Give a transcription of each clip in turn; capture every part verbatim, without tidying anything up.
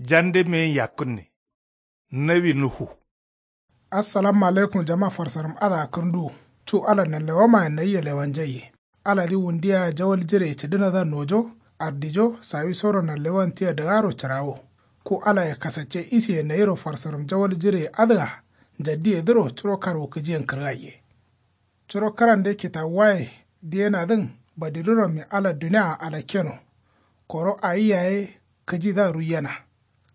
Jande meyin yakkǝnne. Nawi nuhu. Assalamu alaikum jama farsaram adǝa kǝrnduwu. Cu ala nanlewamayen nayia lewanjaiye. Aladǝ wundiya jawal jireye cǝdǝnadǝa nojo, ardijo sawisoro nanlewan tia dǝgaro cǝrawo. Ku alaye kasacce isiye nayiro farsaram jawal jireye adǝa jaddiyedǝro curo karwu kǝjiyen kǝrgaiye. Curo kǝrande kitawuwaye diyenadǝn badidǝrommi ala duniaa alakkeno. Koro awi yaye kǝjidǝa ruiyena.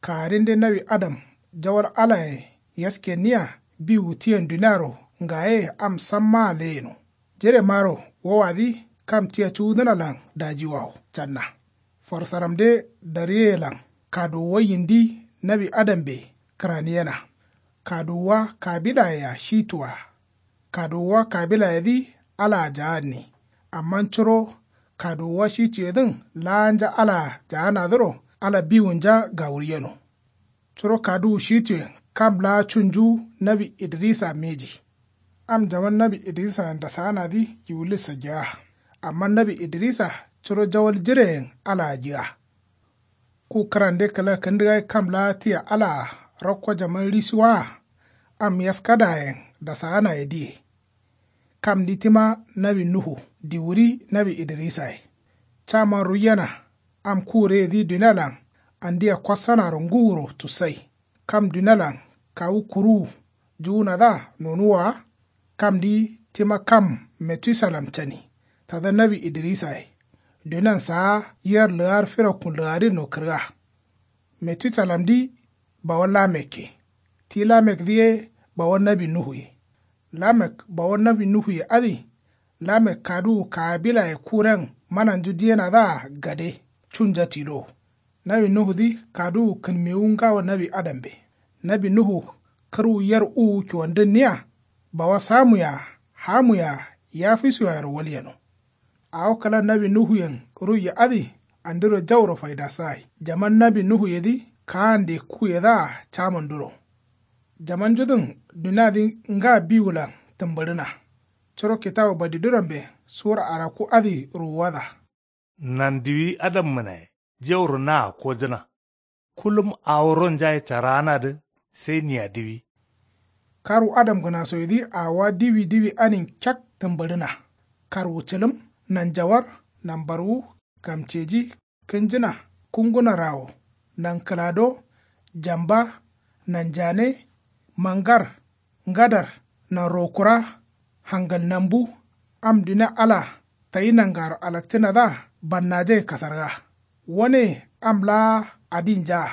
Kagarinde nawi adam jawal alayen yaskenniya biwu tiyen duniaro ngaye am sammaa leyeno. Jiremaro wowadǝ kam tia cuwudǝnalan dajiwawo canna. Farsaramde dariyeyelan kaduwuwa yindi nawi adambe kǝraniyena. Kaduwuwa kabilayea shitua. Kaduwuwa kabilayedǝ alaa jaanni. Amma curo kaduwuwa shituyedǝn laanja alaa jaanadǝro ala biwunja gawuryeno. Curo kaduwu shituyen kam laa cunju nawi idrisa mbeji. Am jaman nawi idrisayen dasaanadǝ yiwulis sageya. Amma nawi idrisa curo jawal jireyen alaa jǝga. Ku kǝrande kǝla kǝndǝgai kam laa tia alaa rakko jaman risuwaa. Am yaskadayen dasaanaye diye. Kamdi tima nawi nuhu diwuri nawi idrisaye. Caman ruiyena. Am kureyedǝ dunialan andia kossanaro ngǝwuro tussai. Kam dunialan kawu kuruwu juwunadǝa nonuwwa wa. Kamdi tima kam metusalam cani tada nawi idrisaye. Dunian saa yer lǝgar firakkun lǝgarinno kǝrga. Metusalamdǝ bawo lamekke. Ti lamekdǝ ye bawo nawi nuhuye. Lamek bawo nawi nuhuye adǝ. Lamek kaduwu kabilaye kuren mananju diyenadǝa gade cunja tilo. Nawi nuhudǝ kaduwu kǝnmewu ngawo nawi adambe. Nawi nuhu kǝrwu yer uwu cuwandǝnniya. Bawo samuye-a hamuye-a yafisuye-aro walyeno. Awo kǝla nawi nuhuyen ruiye adǝ andiro jauro faidasagai jaman nawi nuhuyedǝ kaande kuyedǝa camanduro. Jamanjudǝn duniadǝ nga biwulan tǝmbǝɍǝna. Curo kitawu badidǝrombe sura arakku adǝ ruwuwada. Nandiwi adammǝnaye jauro naa kojǝna. Kulum awo ronjaye caraanadǝ sai niya diwi. Karwu adamgǝnasoyedǝ awowa diwi diwi anin kek tǝmbǝɍǝna. Karwu cǝlǝm, nanjawar, nanbarwu, gamceji, kǝnjǝna, kunguna rawo, nankǝlado, jamba, nanjane, mangar, ngadar, nanrokura, hangal nambu. Am dunia ala tayi nangaro alakcǝnadǝa bannajaye kasarga. Wane am laa adinjaa.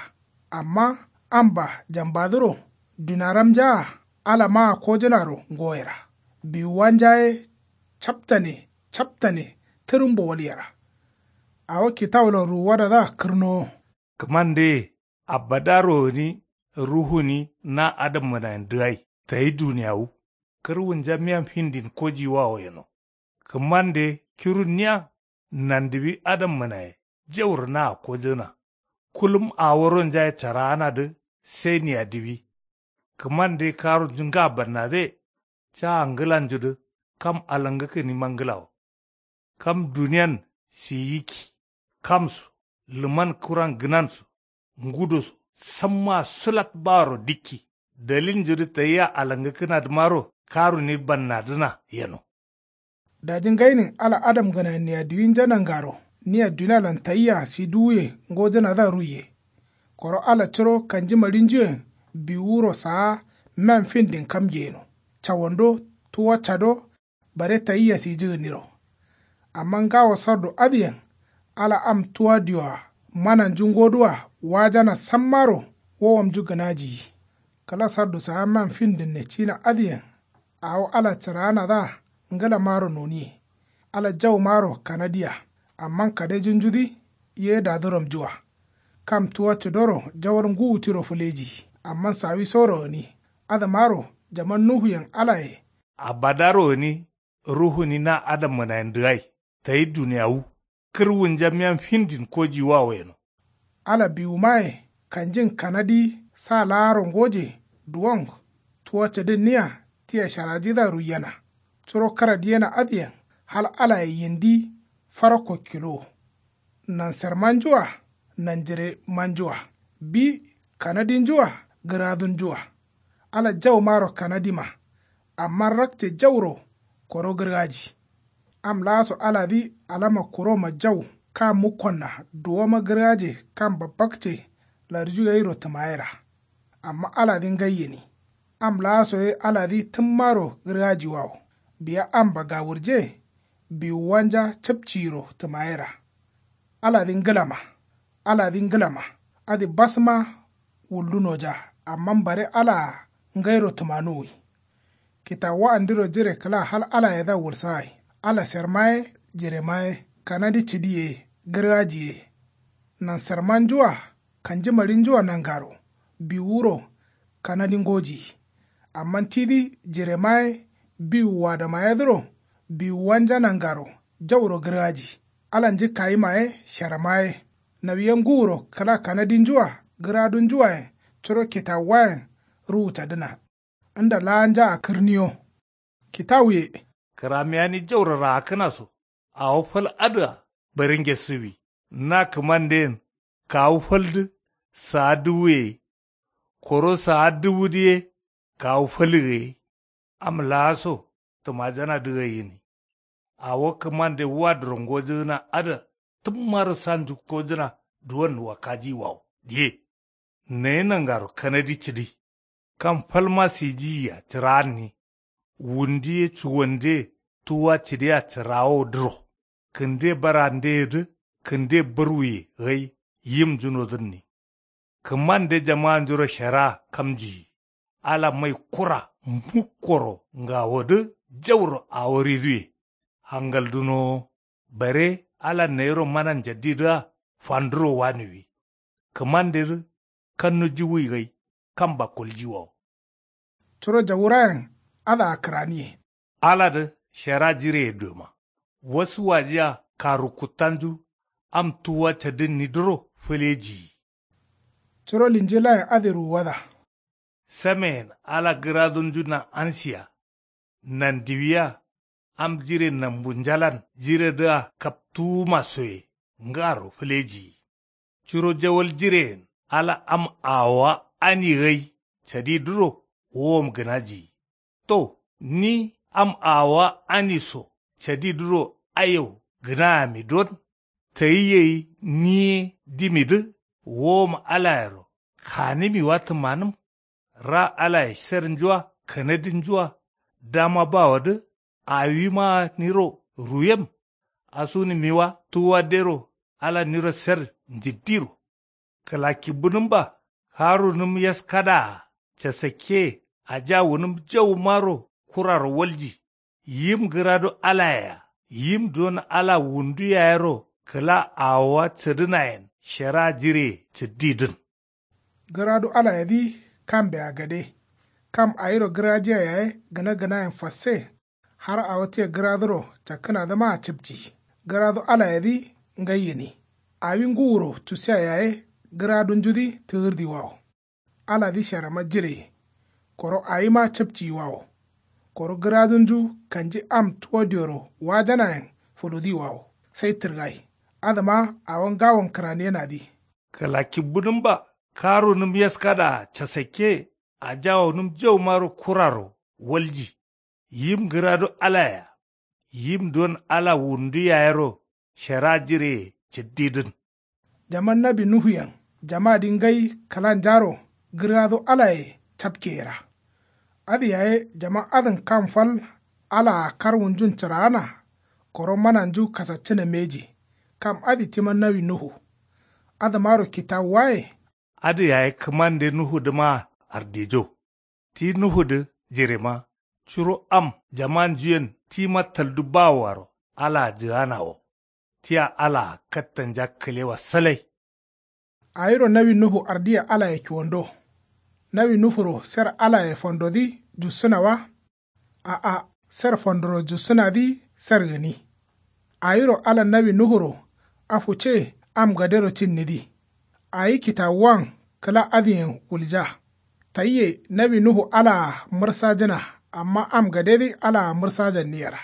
Amma amba jambadǝro dunaramjaa ala maa kojǝnaro ngoyera. Biwuwanja ye captane captane tǝrǝmbo walyera. Awo kitawulan ruwuwadadǝa kǝrnowo. Kǝmande ye abadaro gǝni ruhuni na adammǝnayen dǝgai tayi duniyawu. Kǝrwunja miyan findin kojiwawo yeno. Kǝmande kirunniya nandiwi adammǝnaye jauro naa kojǝna. Kulum awo ronjaye caraanadǝ sai niya diwi. Kǝmande karunju nga bannadǝye. Caa ngǝlanjudǝ kam alangǝkkǝnima ngǝlawo. Kam duniyan siyikki. Kamso lǝman kuran gǝnanso ngudoso sammaa sulat baro dikki. Daliljudǝ tayia alangǝkkǝnadǝmaro karuni bannadǝna yeno. Daji ngainin ala adamgǝnayen niya diwinja nangaro nia dunialan tayia si duwuye ngojǝnadǝa ruiye. Koro ala curo kanjima ɍinjuyen biwuro saa men findin kamge yeno. Cawando tuwa cado bare tayia sijǝgǝniro. Amma ngawo sardu adǝyen ala am tuwa diwoa mananju ngoduwa wajana sammaro wowomnju gǝnajiyi. Kǝla sardu saa man findinne cina adǝyen awo ala cǝraanadǝa ngǝlamaro noniye. Ala jaumaro kanadiya. Amma kadejinjudǝ ye dadǝromjua. Kam tuwa cǝdoro jawal ngǝwu tiro fǝleji. Amma sawisoro gǝni adǝmaro jaman nuhuyen alaye. Abadaro gǝni ruhuni na adammǝnayen dǝgai tayi duniyawu. Kǝrwunja miyan findin kojiwawo yeno. Ala biwumaye kanjin kanadi sa laaro ngoje duwong. Tuwa cǝdǝnniya tia sharajidǝa ruiyena. Curo kǝradiyena adǝyen hal alaye yindi farakko kilowo. Nansermanjua nanjiremanjua. Bi kanadinju-a gǝradunju-a. Ala jaumaro kanadima. Amma rakce jauro koro gǝrgaji. Am laaso aladǝ alama kuroma jau kam mukkonna duwoma gǝrgaje kam babbakce larju gairo tǝmayera. Amma aladǝ ngai gǝni. Am laaso ye aladǝ tǝmmaro gǝrgajiwawo. Biya am bagawurje biwuwanja capciyiro tǝmayera. Aladǝ ngǝlama. Aladǝ ngǝlama. Adǝ basma wuldunoja. Amma bare alaa ngairo tǝmanuwi. Kitawuwandiro jire kǝla hal alayedǝa wulsagai. Ala serma ye jirema ye kanadi cǝdi ye gǝrgaji ye. Nansermanju-a kanjimarinju-a nangaro biwuro kanadi ngoji. Amma tidǝ jirema ye biwuwadamayedǝro biwuwanja nangaro jauro gǝrgaji. Alanjǝ kayima ye sharama ye. Nawiya nguro kǝla kanadinju-a gǝradunju-ayen curo kitawuwayen ruwu cadǝna. Nda laanja akǝrniyo. Kitawuye. Kǝramiyani jauro raakkǝna so awo fal adǝa bare ngesǝwi. Na kǝmanden kawu faldǝ saa dǝwuye. Koro saa dǝwudǝ ye kawu fal gaye. Am laaso tǝmajanadǝ gai gǝni. Awo kǝmande wadǝro ngojǝgǝna adǝa tǝmmaro sanju kojǝna duwon wakkajiyiwawo diye. Nayi nangaro kanadi cǝdi. Kam falma sijiyiya cǝraanni. Wundu ye cuwande tuwwa cǝdiya cǝrawowodǝro. Kǝnde barandeyedǝ kǝnde barwuye gai yimnjunodǝnni. Kǝmande jamaanjuro sheraa kamjiyi. Ala mai kura mukkoro ngawodǝ jauro awo riduwe. Hangal dunowo. Bare ala nayiro mana njaddidǝa fanduro waniwi. Kǝmandedǝ kannu jiwuyi gai kam bakkoljiwawo. Curo jawurayen adǝa kǝraniye. Aladǝ shera jireye duma. Wasu wajiya karukkuttanju am tuwwa cadǝnnidǝro fǝlejiyi. Curo linjilayen adǝ ruwuwada. Sameyen ala gǝradunju nan'ansiya. Nandiwiya am jire nambunjalan jiredǝa kaptuwuma soye ngaro fǝlejiyi. Curo jawal jireyen ala am awowa ani gai cadidǝro wowom gǝnajiyi. To ni am awowa ani so cadidǝro aiyau gǝnayami don. Tayi gai ni ye dimidǝ wowom alayero kanǝmiwa tǝmanǝm. Ra alaye sernjua kanadinjua dama bawodǝ awimaa niro ruwem. Asunǝmiwa tuwwa dero ala niro ser njiddiro. Kǝlakibbǝnǝmba karunǝm yaskadaa casakke aja wunǝm jaumaro kuraro walji. Yim gǝrado alayea yim duwon ala wundu yayero kǝla awowa cǝdǝnayen shera jireye cǝddidǝn. Gǝradu alayedǝ kambea gade. Kam awiro gǝrajiya yaye gǝna gǝnayen fasse. Har awo tia gǝraduro cakkǝnadǝmaa cǝpci. Gǝradu alayedǝ ngai gǝni. Awi nguro cusiya yaye gǝradunjudǝ tǝgǝrdiwawo. Aladǝ sharama jireye. Koro awima cǝpciyiwawo. Koro gǝradunju kanji am tuwo dioro wajanayen fuludiwawo. Sai tǝrgai. Adǝma awo ngawon kǝraniyenadǝ. Kǝlakibbǝnǝmba karunǝm yaskadaa casakke ajawonǝm jaumaro kuraro walji. Yim gǝrado alayea yim duwon ala wundu yayero shera jireye cǝddidǝn. Jaman nawi nuhuyen jamadǝ ngai kǝlanjaro gǝrgado alaye capkeyera. Adǝ yaye jaman adǝn kam fal alaa karwunjun cǝraana. Koro mananju kasaccǝna mbeji. Kam adǝ tima nawi nuhu. Adǝmaro kitawuwaye. Adǝ yaye kǝmande nuhudǝmaa ardijo. Ti nuhudǝ jirema curo am jamanjuyen tima taldu bawoaro alaa jǝgana wo. Tia alaa kattanja kǝlewa salai. Awiro nawi nuhu ardiya alaye kiwando. Nawi nuhuro ser alaye fandodǝ jussǝna wa? A'a. Ser fandoro jussǝnadǝ ser gǝni. Awiro ala nawi nuhuro afu ce am gadero cinnidǝ. Awi kitawuwan kǝla adǝyen wulja. Tayiye nawi nuhu alaa mǝrsajǝna. Amma am gadedǝ alaa mǝrsajanniyera.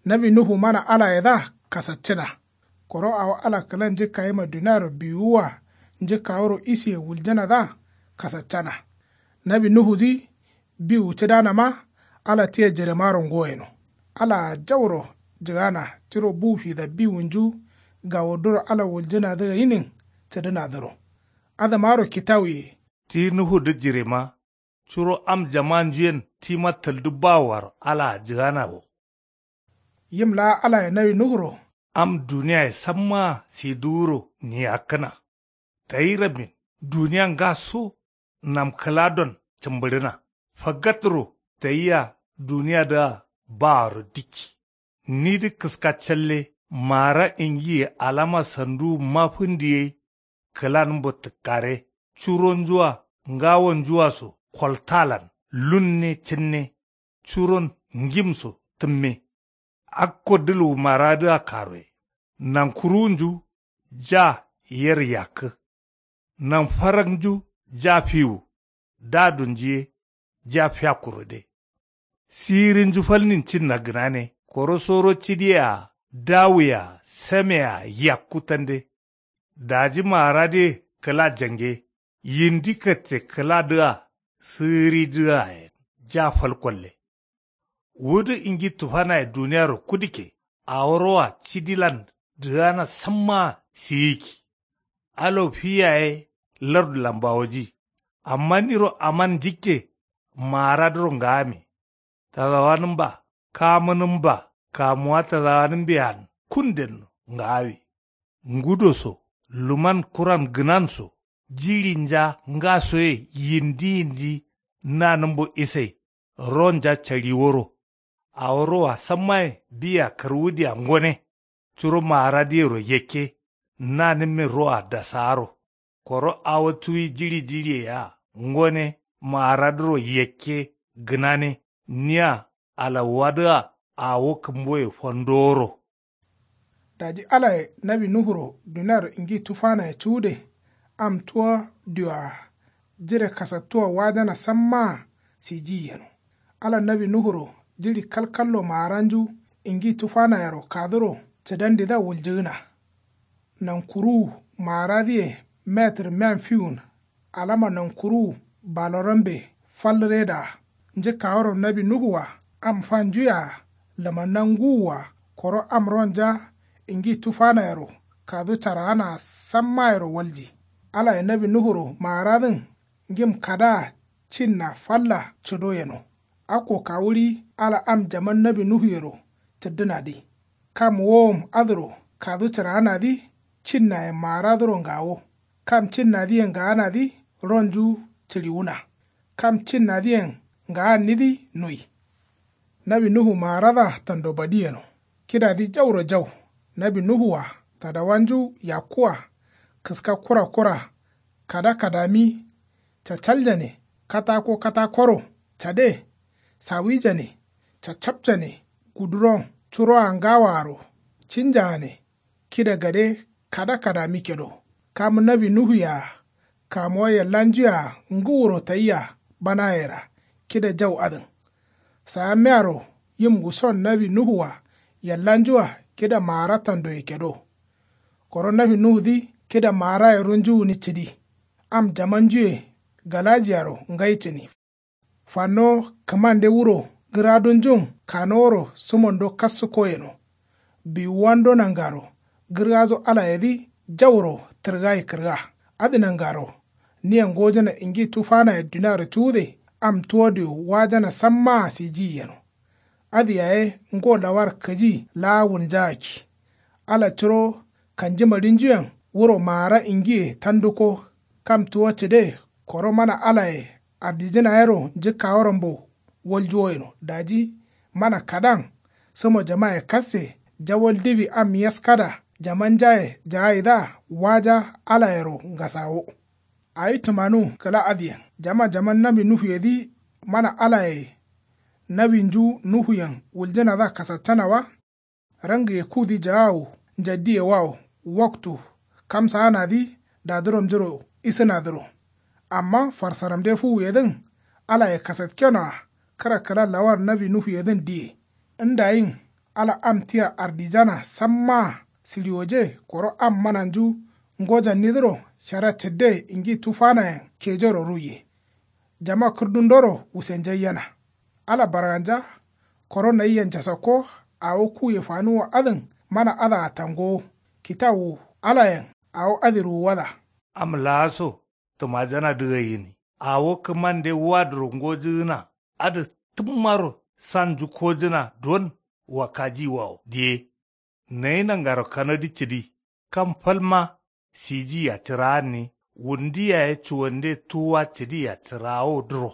Nawi nuhu mana alayedǝa kasaccǝna. Koro awo ala kǝlanjǝ kayima duniaro biwuwa njǝkkaworo isiye wuljǝnadǝa kasaccana. Nawi nuhudǝ biwu cǝdanama ala tia jiremaro ngoyeno. Alaa jauro jǝgana tiro bu fida biwunju gawoduro ala wuljǝnadǝ gainin cǝdǝnadǝro. Adǝmaro kitawuye. Ti nuhudǝ jirema curo am jamanjuyen tima tǝldǝ bawoaro alaa jǝgana wo. Yim laa alaye nawi nuhuro. Am duniyaye sammaa sidǝwuro niyakkǝna. Tayi rabbin duniya ngaso nam kǝladon cǝmbǝɍǝna. Fagatro tayia duniyadǝa baaro dikki. Nidǝ kǝska calle maara ingiye alama sanduwunma fǝndi gai. Kǝlanǝmbo tǝkkare curonjua ngawonjua so koltalan lunne cǝnne. Curon ngimso tǝmme. Akko dǝlwu maradǝa karoye. Nankuruwunju ja yer yakkǝ. Nanfaraknju ja fiwu. Dadunju ye ja fiyakkuro de. Sirinju falnin cinna gǝnane koro soro cidiye-a dawuye-a same-a yakku tande. Daji maaradǝye kǝla jange yindi katte kǝladǝa sǝgǝridǝayen ja fal kolle. Wudǝ ingi tufanaye duniyaro kudukke. Awo roa cidilan dǝgana sammaa siyikki. Alo fi yaye lardu lambawoji. Amma niro aman njikke maaradǝro ngaame. Tadawanǝmba kamǝnǝmba kamuwa tadawanǝmbean kundenno ngaawe. Ngudo so luman kuran gǝnan so jiɍinja ngasoye yindi yindi nanǝmbo isai ronja caɍiworo. Awo roa sammaye biya kǝrwudia ngone. Curo maaradǝyero yakke nanǝmme roa dasaaro. Koro awo tuwi jiɍi jiɍiye yea ngone maaradǝro yakke gǝnane. Nia alawuwadǝa awo kǝmboye fandoworo. Daji alaye nawi nuhuro duniaro ingi tufanaye cuwude am tuwa diwa jire kasattuwa wajana sammaa sijiyi yeno. Ala nawi nuhuro jiɍi kalkallo maaranju ingi tufanayero kaduro cǝdandidǝa wuljǝgǝna. Nankuruwu maaradǝye metǝr miyan fiwun. Alama nankuruwu balorambe fal redaa. Njǝkkaworo nawi nuhu-a am fanju-a lǝmanna ngǝwu-a koro am ronja ingi tufanayero kadu caraana sammayero walji. Alaye nawi nuhuro maaradǝn ngim kadaa cinna falla cǝdo yeno. Akko kawuɍi ala am jaman nawi nuhuyero cǝddǝnadǝ. Kam wowom adǝro kadu cǝraanadǝ cinnayen maaradǝro ngawo. Kam cinnadǝyen ngaanadǝ ronju cǝɍiwuna. Kam cinnadǝyen ngaannidǝ nui. Nawi nuhu maaradǝa tando badi yeno. Kidadǝ jauro jau. Nawi nuhu-a tadawanju yakku-a kǝska kura kura. Kada kadami. Cacaljane katako katakoro. Cade. Sawijane. Cacapcane. Guduron curoa ngawaaro. Cinjaane. Kida gade kada kadami kedo. Kam nawi nuhu-a kamuwa yallanju-a ngǝwuro tayia banayera. Kida jau adǝn. Saamiyaro yim nguson nawi nuhu-a yallanju-a kida maara tandoye kedo. Koro nawi nuhudǝ kida maaraye runju gǝni cǝdi. Am jamanjuye galajiyaro ngai cǝni. Fanno kǝmande wuro gǝradunjun kanoworo sǝmondo kassǝko yeno. Biwuwando nangaro gǝrgaso alayedǝ jauro tǝrgai kǝrga. Adǝ nangaro nia ngojana ingi tufanaye duniaro cuwude am tuwa diyo wajana sammaa sijiyi yeno. Adǝ yaye ngo lawar kǝji laa wunjagakki. Ala curo kanjimaɍinjuyen wuro maara ingiye tanduko. Kam tuwa cǝde koro mana alaye ardijǝnayero njǝkkaworonbo waljuwo yeno daji mana kadan sǝmo jamaye kasse. Jawal diwi am yaskada jamanjaye jaayidǝa waja alayero ngasawo. Awi tǝmanu kǝla adǝyen jama jaman nawi nuhuyedǝ mana alaye nawinju nuhuyen wuljǝnadǝa kasaccana wa. Rangǝye kudǝ jagawu njaddiye wawo waktu kamsaanadǝ daduromnjuro isǝnadǝro. Amma farsaramde fuwuyedǝn alaye kasatkenoa kǝra kǝla lawar nawi nuhuyedǝn diye. Ndayin ala am tia ardijana sammaa siɍiwoje koro am mananju ngojannidǝro Shara cǝdde ngi tufanayen kejero ruiye. Jama kǝrdundoro wusenjaiyena. Ala barganja. Koro nayia njasakko. Awo kuye fanuwa adǝn mana adǝa tangowo. Kitawu alayen awo adǝ ruwuwada. Am laaso tǝmajanadǝ gaiyi ni. Awo kǝmande wadǝro ngojǝgǝna adǝ tǝmmaro san njukkojǝna don. Wakkajiwawo diye. Nayi nangaro kanadǝ cǝdi kam falma. Sijiya cǝraanni wundu yaye cuwande tuwwa cǝdiya cǝraawodǝro.